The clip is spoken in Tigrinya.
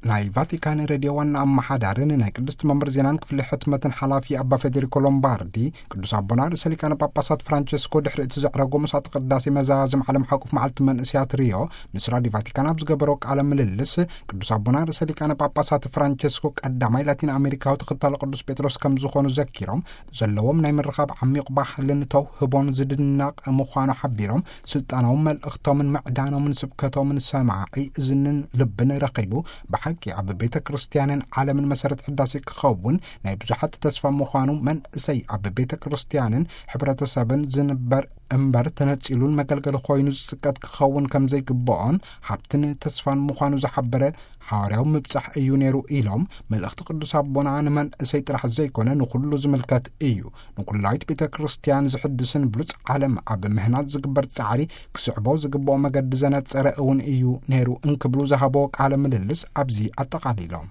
ናይ ቫቲካን ሬድዮ ዋና ኣመሓዳርን ናይ ቅድስቲ መንበር ዜናን ክፍሊ ሕትመትን ሓላፊ ኣባ ፌዴሪኮ ሎምባርዲ፣ ቅዱስ ኣቦና ርእሰ ሊቃነ ጳጳሳት ፍራንቸስኮ ድሕሪ እቲ ዘዕረጎ ምሳተ ቅዳሴ መዛዝም ዓለም ሓቁፍ መዓልቲ መንእስያት ሪዮ ምስ ራዲዮ ቫቲካን ኣብ ዝገበሮ ቃለ ምልልስ፣ ቅዱስ ኣቦና ርእሰ ሊቃነ ጳጳሳት ፍራንቸስኮ ቀዳማይ ላቲን ኣሜሪካዊ ተኸታሊ ቅዱስ ጴጥሮስ ከም ዝኾኑ ዘኪሮም፣ ዘለዎም ናይ ምርኻብ ዓሚቕ ባህልን ተውህቦን ዝድነቕ ምዃኑ ሓቢሮም፣ ስልጣናዊ መልእኽቶምን ምዕዳኖምን ስብከቶምን ሰማዒ እዝንን ልብን ረኺቡ፣ ብሓቂ ኣብ ቤተ ክርስቲያንን ዓለምን መሰረት ሕዳሴ ክኸውን ናይ ብዙሓት ተስፋ ምዃኑ፣ መንእሰይ ኣብ ቤተ ክርስቲያንን ሕብረተሰብን ዝንበር እምበር ተነጺሉን መገልገሊ ኮይኑ ዝጽቀት ክኸውን ከም ዘይግብኦን ሃብትን ተስፋን ምዃኑ ዝሓበረ ሓዋርያዊ ምብጻሕ እዩ ነይሩ ኢሎም፣ መልእኽቲ ቅዱስ ኣቦና ንመንእሰይ ጥራሕ ዘይኮነ ንኹሉ ዝምልከት እዩ። ንኩላዊት ቤተ ክርስቲያን ዝሕድስን ብሉጽ ዓለም ኣብ ምህናጽ ዝግበር ጻዕሪ ክስዕቦ ዝግብኦ መገዲ ዘነጸረ እውን እዩ ነይሩ እንክብሉ ዝሃቦ ቃለ ምልልስ ኣብዚ ኣጠቓሊሎም።